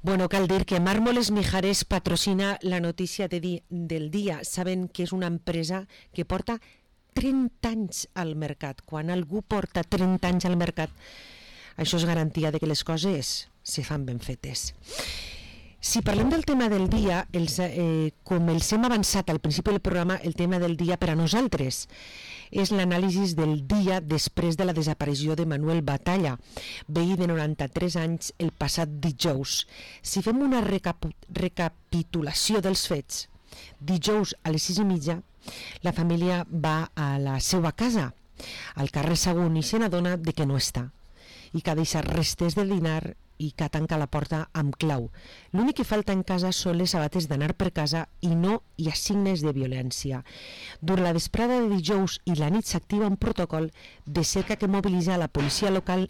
Bueno, cal dir que Mármoles Mijares patrocina la notícia del dia. Saben que és una empresa que porta 30 anys al mercat. Quan algú porta 30 anys al mercat, això és garantia de que les coses se fan ben fetes. Si parlem del tema del dia, com els hem avançat al principi del programa, el tema del dia per a nosaltres és l'anàlisi del dia després de la desaparició de Manuel Batalla, veí de 93 anys el passat dijous. Si fem una recapitulació dels fets, dijous a les 6:30 la família va a la seva casa, al carrer Sagunt, i se n'adona de que no està, i que ha deixat restes de dinar i que tanca la porta amb clau. L'únic que falta en casa són les sabates d'anar per casa i no hi ha signes de violència. Durant la vesprada de dijous i la nit s'activa un protocol de cerca que mobilitza la policia local,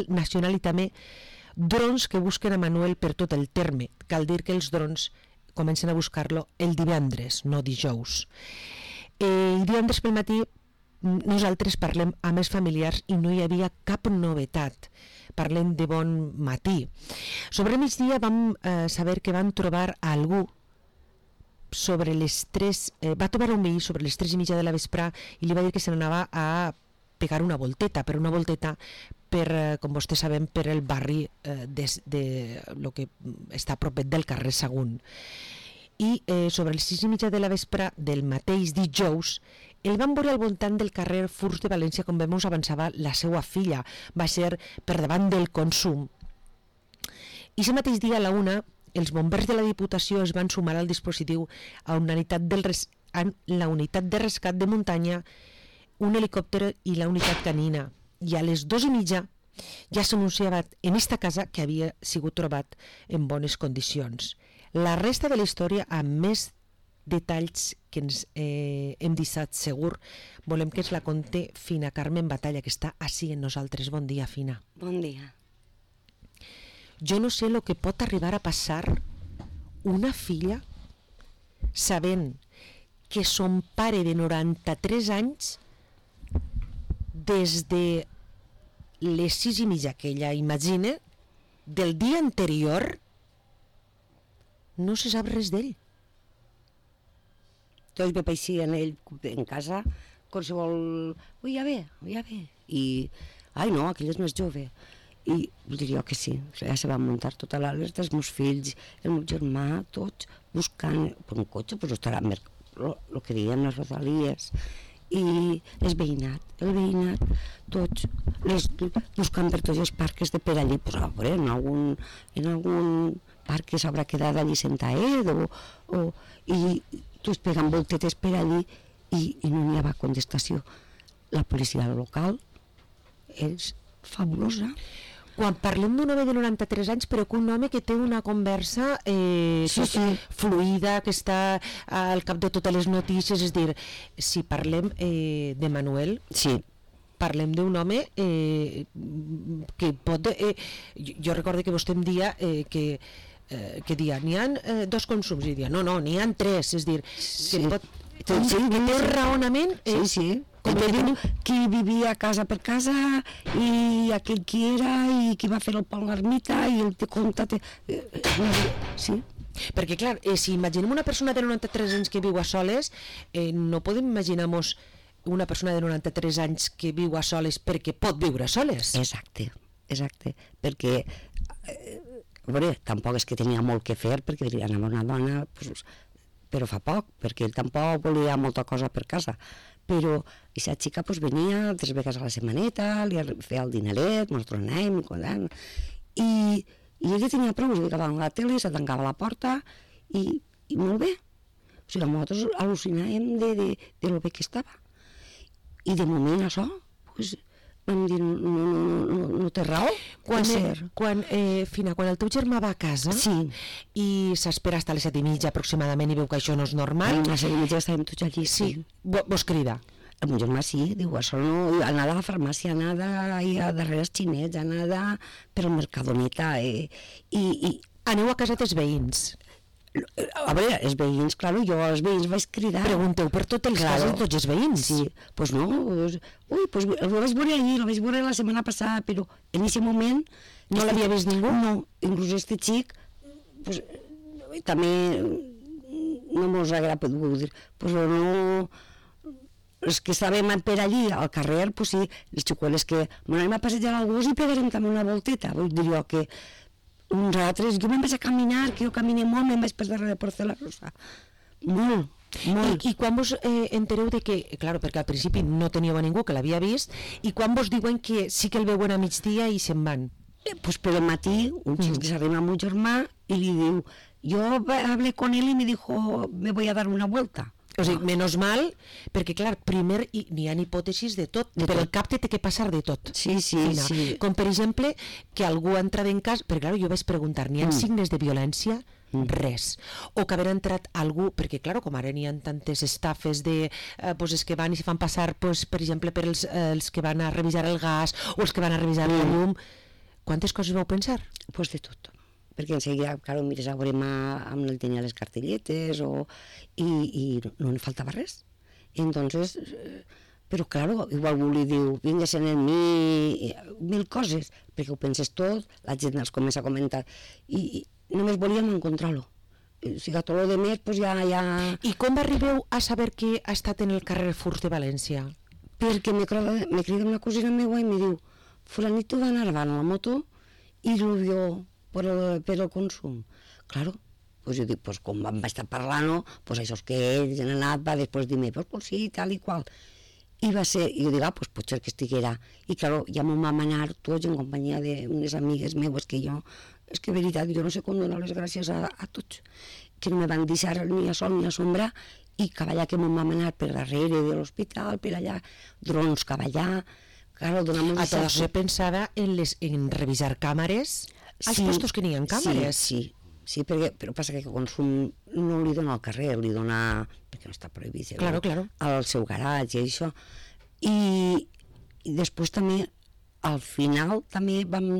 nacional i també drons que busquen a Manuel per tot el terme. Cal dir que els drons comencen a buscar-lo el divendres, no dijous. I divendres pel matí nosaltres parlem amb els familiars i no hi havia cap novetat. Parlem de bon matí. Sobre migdia vam saber que van trobar a algú sobre les 3, va trobar un veí sobre les 3:30 de la vespre i li va dir que se n'anava a pegar una volteta, per, com vostès sabem, per el barri de lo que està a propet del carrer Sagunt. I sobre les 6:30 de la vespre del mateix dijous el van veure al voltant del carrer Furs de València, com vemos avançava la seva filla. Va ser per davant del Consum. I aquest mateix dia a la 1 els bombers de la Diputació es van sumar al dispositiu a la unitat de rescat de muntanya, un helicòpter i la unitat canina. I a les 2:30 ja s'anunciava en esta casa que havia sigut trobat en bones condicions. La resta de la història, amb més detalls que ens hem deixat segur, volem que ens la conte Fina Carmen Batalla, que està així en nosaltres. Bon dia, Fina. Bon dia. Jo no sé el que pot arribar a passar una filla sabent que son pare de 93 anys des de les 6:30 que ella imagina del dia anterior no se sap res d'ell. Tots ve paixí en ell en casa, qualsevol... Ui, ja ve. I, ai no, aquell és més jove. I diria que sí, ja se van muntar tota l'alerta, els meus fills, el meu germà, tots, buscant per un cotxe, pues estarà el que diem, les rodalies, i el veïnat, tots, buscant per tots els parcs de per allí, pues a veure, en algun parc que s'haurà quedat allí sentaet, i tots pegant voltetes per allí i no hi havia contestació. La policia local és fabulosa. Quan parlem d'un home de 93 anys, però que un home que té una conversa fluida, que està al cap de totes les notícies, és dir, si parlem de Manuel, parlem d'un home que pot... Jo recordo que vostè em dia que dia, n'hi ha 2 consums, i dia, no, n'hi ha 3, és dir, que pot... Que té raonament... Qui vivia casa per casa i aquell qui era i qui va fer el pont l'ermita i el te compta... Sí. Perquè clar, si imaginem una persona de 93 anys que viu a soles, no podem imaginar-nos una persona de 93 anys que viu a soles perquè pot viure a soles. Exacte, perquè veure, tampoc és que tenia molt que fer, perquè anava una dona, però fa poc, perquè ell tampoc volia molta cosa per casa, però aquesta xica venia 3 vegades a la setmaneta, li feia el dineret, mos tornàvem, i ella tenia prou, es ficava a la tele, se tancava la porta, i molt bé. O sigui, nosaltres al·lucinàvem de lo bé que estava. I de moment això, vam dir, no té raó. Quan el teu germà va a casa i s'espera fins a les 7:30 aproximadament i veu que això no és normal, a les 7:30 estàvem tots allí. Sí, vos crida. El meu germà sí, diu, això no, anada a la farmàcia, anada a darrere els xinets, anada per al Mercadoneta, i aneu a casa dels veïns. A veure, els veïns, clar, jo als veïns vaig cridar. Pregunteu per tot els casos de tots els veïns. Sí, pues no, pues lo vaig veure ahir, lo vaig veure la setmana passada, però en aquest moment... No l'havia vist ningú? No, inclús este xic, pues, també no mos agrada poder dir, pues no... Els que estàvem per allí, al carrer, pues sí, les xicueles que... Bueno, anem a passejar al gos i pegarem també una volteta, vull dir jo que... uns altres, jo me'n vaig a caminar, que jo camine molt, me'n vaig per darrere de Porta de la Rosa. Molt, molt. I quan vos entereu de que, clar, perquè al principi no teníeu a ningú que l'havia vist, i quan vos diuen que sí que el veuen a migdia i se'n van? Pues per el matí, un xic que s'arriba amb un germà i li diu, yo hablé con él y me dijo, me voy a dar una vuelta. O sigui, menos mal, perquè clar, primer n'hi ha hipòtesis de tot, per el cap té que passar de tot. Sí. Com per exemple, que algú ha entrat en cas, perquè clar, jo vaig preguntar, n'hi ha signes de violència? Res. O que haver entrat algú, perquè clar, com ara n'hi ha tantes estafes de pues, els que van i se fan passar, pues, per exemple, per els que van a revisar el gas o els que van a revisar la llum. Quantes coses vau pensar? Pues de tot. Perquè enseguida, claro, mires a veure amb el tenia les cartelletes i no en faltava res. Entonces, però claro, igual algú li diu, vingues en mi, mil coses, perquè ho penses tot, la gent els comença a comentar, i només volíem encontrar-lo. O sigui, tot el demés, pues ja... I com arribeu a saber que ha estat en el carrer Furs de València? Perquè me crida una cosina meva i me diu, fulanito va anar avant a la moto i lo vio per el consum. Claro, pues jo dic, pues com vam estar parlant, pues això és que ells han anat, va després dir-me, pues sí, tal i qual. I va ser, i jo dic, pues potser que estiguera. I claro, ja m'ho vam anar tots en companyia d'unes amigues meves que jo, és que veritat, jo no sé com donar les gràcies a tots, que no me van deixar ni a sol ni a sombra, i cavallar que m'ho vam anar per darrere de l'hospital, per allà, drons cavallar, claro, donamos... A tots se pensava en revisar càmeres, als puestos que n'hi ha càmeres. Sí, però passa que el consum no li dona al carrer, li dona, perquè no està prohibit, claro. Al seu garatge i això. I després també, al final, també vam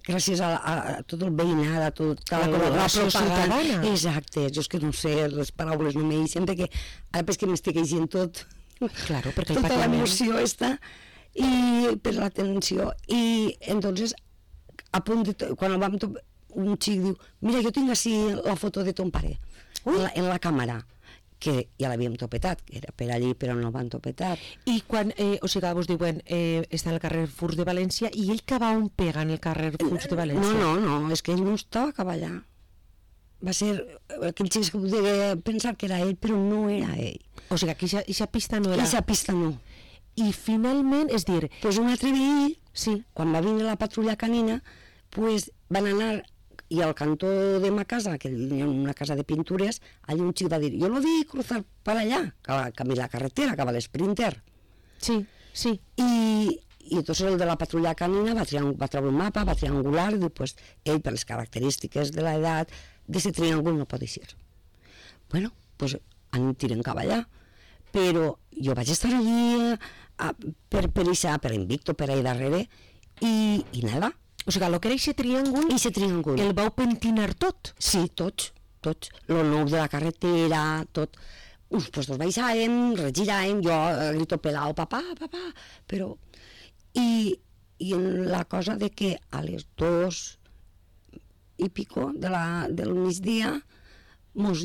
gràcies a tot el veïnat, a tota la propaganda. Exacte, jo és que no sé, les paraules no me deixen, perquè ara que m'estic llegint tot, claro, perquè tota l'emoció està, i per l'atenció, i entonces a punt de quan el vam un xic diu, mira, jo tinc així la foto de ton pare en la càmera, que ja l'havíem topetat, que era per allí però no el van topetar. I quan, o sigui, vos diuen està en el carrer Furs de València, i ell que va on pega en el carrer Furs de València? No, és que ell no estava a cavallar. Va ser aquell xic que podia pensar que era ell, però no era ell. O sigui, que aquesta pista no era... Aquesta pista no. I finalment, és dir... Pues un altre veí, sí, quan va vindre la patrulla canina, pues van anar, i al cantó de ma casa, que hi ha una casa de pintures, allà un xic va dir, jo lo vi cruzar per allà, camí la carretera, que va l'Sprinter. Sí. I entonces el de la patrulla canina va treure un mapa, va triangular, i diu, pues, ell, per les característiques de l'edat, d'aquest triàngul no pot eixir. Bueno, pues, tiren cap allà. Però jo vaig estar allí per Invicto, per allà darrere, i nada. O sigui, el que era aquest triàngul, el vau pentinar tot? Sí, tots. Lo nou de la carretera, tot. Uns puestos baixàvem, regiràvem, jo grito pelao, papà, però... I en la cosa de que a les 2 i pico del migdia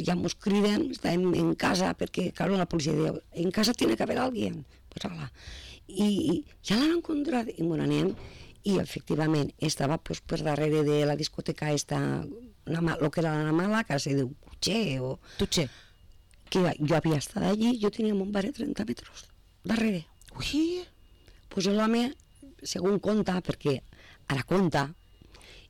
ja mos criden, estàvem en casa, perquè, clar, la policia diu, en casa tiene que haver alguien. Pues ala. I ja l'han encontrat, i m'ho anem, i efectivament estava pues, per darrere de la discoteca lo que era la mala, que se diu Tutxer. Que jo havia estat allí, jo tenia un bar de 30 metres darrere. Ui! Pues l'home, segons conta, perquè ara conta,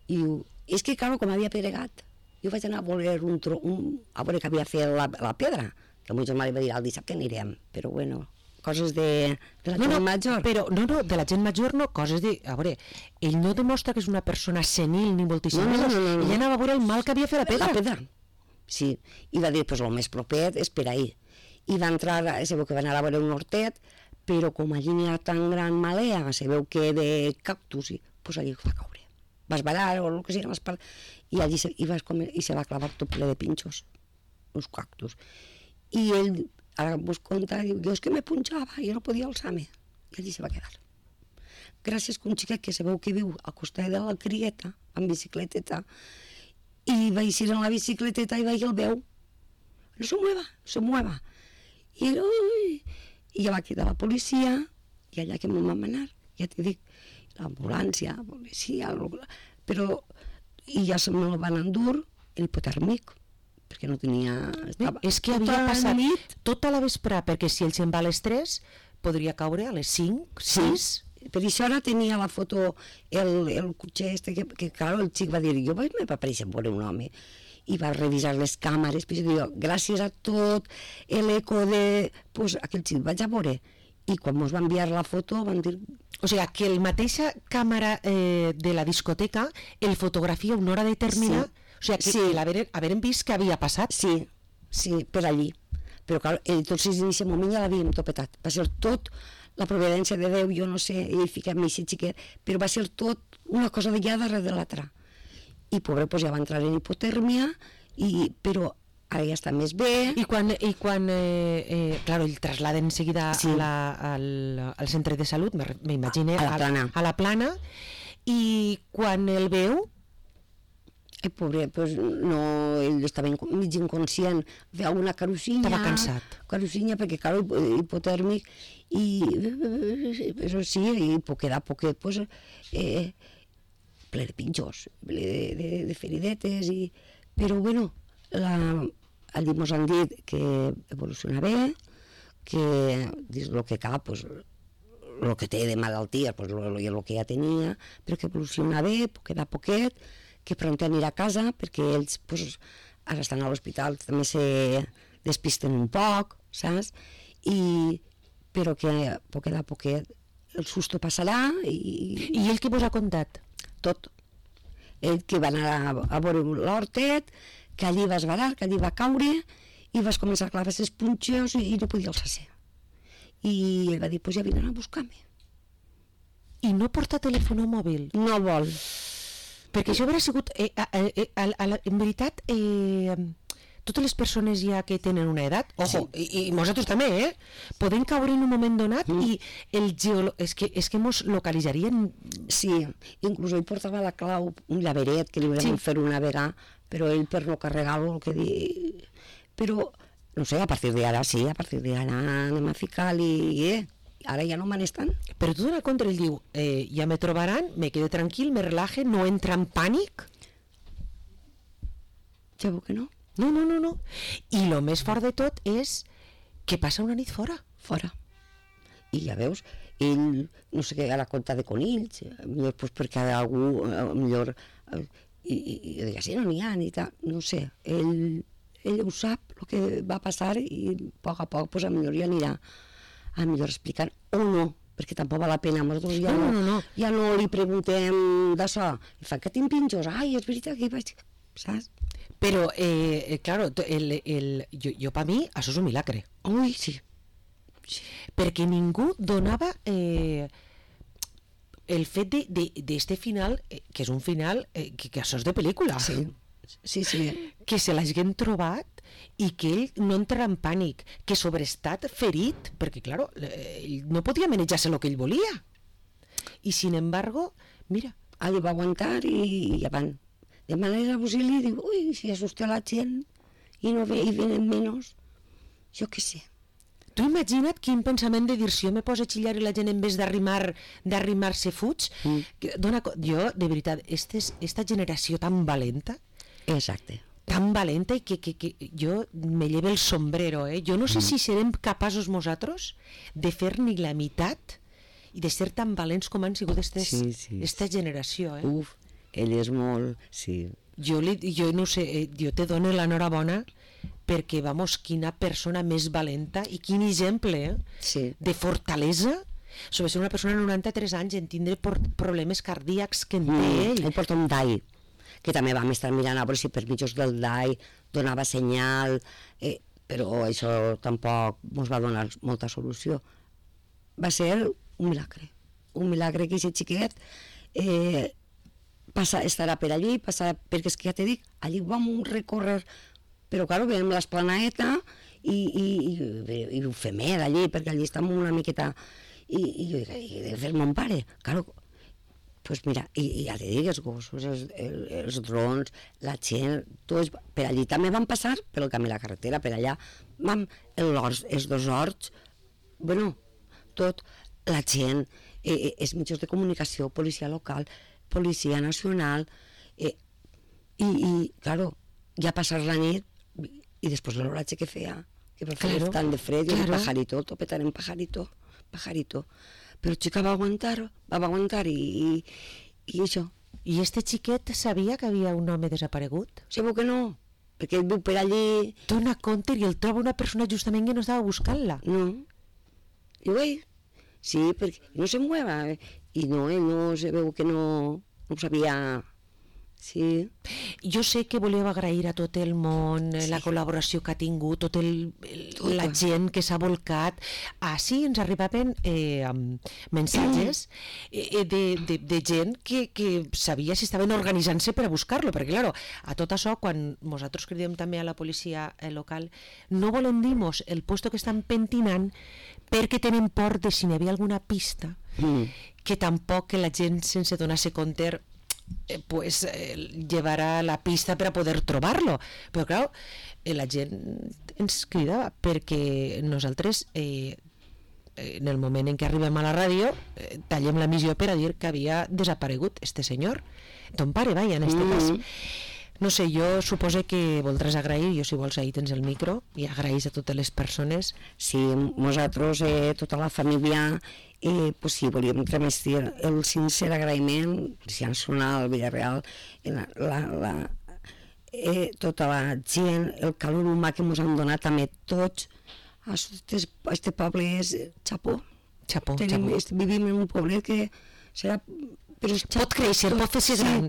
i diu, és que, clar, com havia peregat, jo vaig anar a veure a veure que havia fet la pedra, que el meu germà li va dir, el dissabte anirem, però bueno, coses de la gent major. Però, no, de la gent major no, coses de... A veure, ell no demostra que és una persona senil ni moltíssim més. No. Ell anava a veure el mal que havia fet la pedra. La pedra, sí. I va dir, pues el més proper és per ahir. I va entrar, se veu que va anar a veure un hortet, però com allí n'hi ha tan gran malea, se veu que de cactus, pues allí va caure. va esbarar o el que sigui, i allí se va clavar tot ple de pinxos, uns cactus. I ell, ara vos conta, diu, jo és que me punxava, jo no podia alçar-me, i allí se va quedar. Gràcies que un xiquet que sabeu que viu al costat de la crieta, amb bicicleteta, i va eixir en la bicicleteta i va el veu, no se mueva. I ell, i ja va cridar la policia, i allà que me'n vam anar, ja t'hi dic, l'ambulància, la policia, però, i ja se me'l van endur el hipotèrmic, perquè no tenia... És que havia passat tota la vesprà, perquè si ell se'n va a les 3, podria caure a les 5, 6... Per això ara tenia la foto, el cotxe este, que clar, el xic va dir, jo me va aparèixer veure un home, i va revisar les càmeres, però jo, gràcies a tot l'eco de... Pues aquell xic vaig a veure, i quan ens va enviar la foto van dir... O sigui, que el mateixa càmera de la discoteca el fotografia una hora determinada, o sigui, que l'haveren vist que havia passat. Sí, per allí. Però clar, tots en aquest moment ja l'havíem topetat. Va ser tot la providència de Déu, jo no sé, ell ficava-me així xiquet, però va ser tot una cosa de ja darrere de l'altra. I pobre, pues, ja va entrar en hipotèrmia, però ara ja està més bé. I quan clar, el trasladen en seguida al centre de salut, m'imagino, a la Plana, i quan el veu... El pobre, pues, no, ell estava mig inconscient, feia una carusinya. Estava cansat. Carusinya, perquè, clar, hipotèrmic, però sí, i poquet a poquet, pues, ple de pinxos, ple de feridetes, però, bueno, allí mos han dit que evoluciona bé, que dins el que cap, pues, el que té de malaltia, pues, el que ja tenia, però que evoluciona bé, poquet a poquet, que pront anirà a casa, perquè ells pues, ara estan a l'hospital, també se despisten un poc, saps? Però que poquet a poquet el susto passarà i ell què vos ha contat? Tot. Ell que va anar a veure l'hortet, que allí va esbarar, que allí va caure, i vas començar a clavar els punxos i no podia alçar-se. I ell va dir, pues ja vindran a buscar-me. I no porta telèfon mòbil? No vol. Perquè això hauria sigut, en veritat, totes les persones ja que tenen una edat, ojo, i nosaltres també, poden caure en un moment donat i és que mos localitzarien. Sí, inclús ell portava la clau, un llaveret que li vam fer una vegada, però ell per no carregar-lo, el que dir... Però, no sé, a partir d'ara sí, a partir d'ara anem a ficar-li... Ara ja no me n'estan. Però tu dona compte, ell diu, ja me trobaran, me quedo tranquil, me relaje, no entra en pànic? Ja veu que no. No. I el més fort de tot és que passa una nit fora. Fora. I ja veus, ell, no sé què, ara compta de conills, millor pues, perquè algú, millor, i deia, sí, no n'hi ha, ni tal, no sé, ell ho sap, el que va passar, i a poc, pues, millor ja anirà a millor explicant, o no, perquè tampoc val la pena, nosaltres ja no li preguntem d'això, i fa que tinc pinxos, ai, és veritat que hi vaig, saps? Però, claro, jo per mi, això és un milagre. Ui, sí. Perquè ningú donava el fet d'este final, que és un final, que això és de pel·lícula. Sí. Que se l'hagin trobat i que ell no entrarà en pànic, que sobreestat ferit, perquè, claro, ell no podia manejar-se el que ell volia. I, sin embargo, mira... Ell va aguantar i ja van. De manera auxili, diu, ui, si asusta la gent i no ve i venen menys, jo què sé. Tu imagina't quin pensament de dir, si jo me poso a xillar i la gent en vez d'arrimar-se fuig, jo, de veritat, esta generació tan valenta, exacte, tan valenta i que jo me lleve el sombrero, jo no sé si serem capaços nosaltres de fer ni la meitat i de ser tan valents com han sigut esta generació. Uf, ell és molt... Sí. Jo no sé, jo te dono l'enhorabona perquè, vamos, quina persona més valenta i quin exemple de fortalesa sobre ser una persona de 93 anys en tindre problemes cardíacs que en té ell. Ell porta un DAI, que també vam estar mirant a veure si per mitjos del DAI donava senyal, però això tampoc ens va donar molta solució. Va ser un milagre que aquest xiquet estarà per allí, perquè és que ja t'he dit, allí vam recórrer, però clar, veiem l'esplaneta i ho fem allí, perquè allí estem una miqueta, i jo dic, he de fer mon pare, clar, pues mira, i ja t'he dit, els gossos, els drons, la gent, tots, per allí també van passar pel camí de la carretera, per allà, els 2 horts, bueno, tot, la gent, els mitjans de comunicació, policia local, policia nacional, i claro, ja passar la nit, i després l'oratge que feia, que per fer tant de fred, i el pajarito, el topetar en pajarito, però xica va aguantar i això. I este xiquet sabia que havia un home desaparegut? Segur que no, perquè ell viu per allí... Dona compte i el troba una persona justament que no estava buscant-la. No, i ell, sí, perquè no se mueva, i no, ell no se veu que no sabia... Sí. Jo sé que voleu agrair a tot el món la col·laboració que ha tingut, la gent que s'ha volcat. Així ens arribaven mensatges de gent que sabia si estaven organitzant-se per a buscar-lo, perquè claro, a tot això, quan nosaltres cridem també a la policia local, no volem dir-nos el puesto que estan pentinant perquè tenen por de si n'hi havia alguna pista que tampoc que la gent sense donar-se compte pues llevarà la pista per a poder trobar-lo, però clar, la gent ens cridava perquè nosaltres en el moment en què arribem a la ràdio tallem la missió per a dir que havia desaparegut este senyor, ton pare, vaja, en este cas. No sé, jo supose que voldràs agrair, jo si vols ahir tens el micro i agraïs a totes les persones. Sí, nosaltres, tota la família, pues sí, volíem transmetre el sincer agraïment, si han sonat al Villarreal, tota la gent, el calor humà que ens han donat també tots, este poble és xapó. Vivim en un poblet que serà... Pot créixer, pot fer-se gran,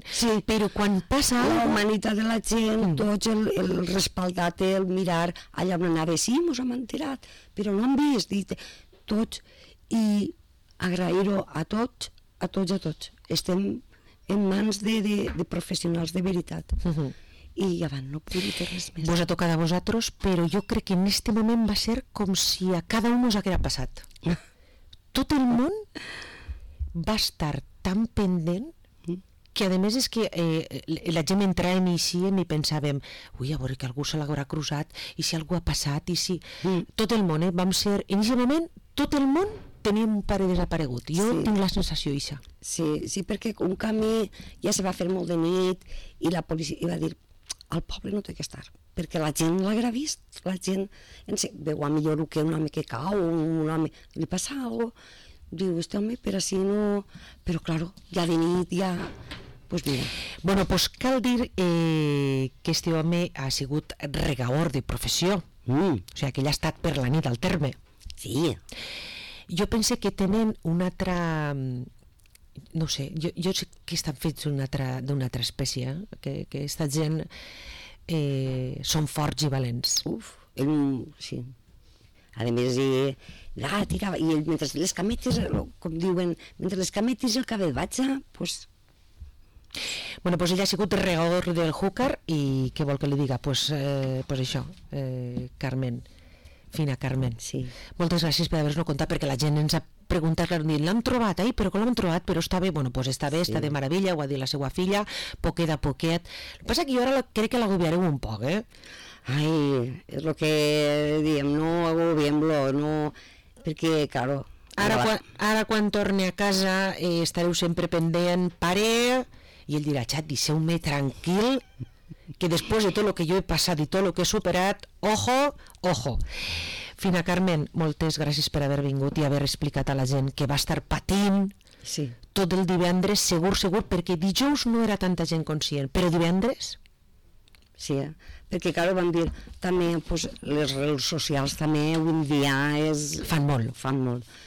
però quan passa la humanitat de la gent, tots el respaldat, el mirar, allà on anava, sí, mos hem enterat, però no hem vist, tots, i agrair-ho a tots, estem en mans de professionals de veritat. I abans no puc dir res més. Vos ha tocat a vosaltres, però jo crec que en este moment va ser com si a cada un us haguera passat. Tot el món va estar tan pendent que a més és que la gent entràvem i i pensàvem, ui, a veure que algú se l'haurà cruzat i si algú ha passat i si... Tot el món, vam ser, en aquest moment, tot el món teníem un pare desaparegut. Jo tinc la sensació eixa. Sí, perquè un camí ja se va fer molt de nit i la policia va dir, al poble no té que estar, perquè la gent l'haguera vist, la gent veu a millor que un home que cau, un home, li passa alguna cosa, diu, este home, per així no... Però, claro, ja de nit, ja... Pues mira. Bueno, pues cal dir que este home ha sigut regaor de professió. O sigui, que ell ha estat per la nit al terme. Sí. Jo pense que tenen una altra... No sé, jo sé que estan fets d'una altra espècie, que aquesta gent són forts i valents. Sí. A més, tirava, i mentre les cametes, com diuen, mentre les cametes i el cabell batxa, doncs... Bueno, doncs ella ha sigut regador del Júcar i què vol que li diga? Doncs això, Carmen, Fina Carmen. Sí. Moltes gràcies per haver-nos contat, perquè la gent ens ha preguntat, l'han trobat, però com l'han trobat? Però està bé, bueno, doncs està bé, està de meravella, ho ha dit la seva filla, poquet a poquet. El que passa que jo ara crec que l'agobiareu un poc, Ai, és el que diem, no agobiem-lo, no... Perquè, claro... Ara quan torni a casa estareu sempre pendent, pare, i ell dirà, xat, deixeu-me tranquil, que després de tot el que jo he passat i tot el que he superat, ojo. Fina Carmen, moltes gràcies per haver vingut i haver explicat a la gent que va estar patint tot el divendres, segur, perquè dijous no era tanta gent conscient, però divendres... Sí, perquè clar, vam dir també, pues, les redes socials també avui en dia fan molt.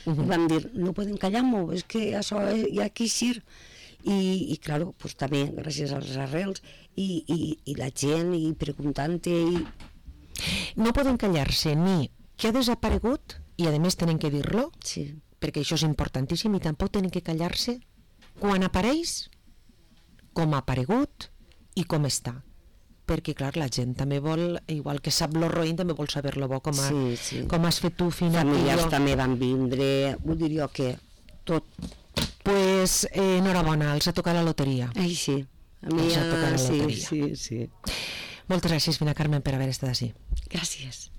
Vam dir, no podem callar-nos, és que això hi ha que eixir. I clar, pues, també gràcies a les arrels i la gent i preguntant-te no poden callar-se ni que ha desaparegut i a més tenen que dir-lo, perquè això és importantíssim, i tampoc tenen que callar-se quan apareix, com ha aparegut i com està. Perquè, clar, la gent també vol, igual que sap lo roïn, també vol saber lo bo, com has fet tu, Fina. Familiars també van vindre, vull dir jo que tot. Pues enhorabona, els ha tocat la loteria. Ai, sí. A mi els ha tocat la loteria. Sí. Moltes gràcies, Fina Carmen, per haver estat així. Gràcies.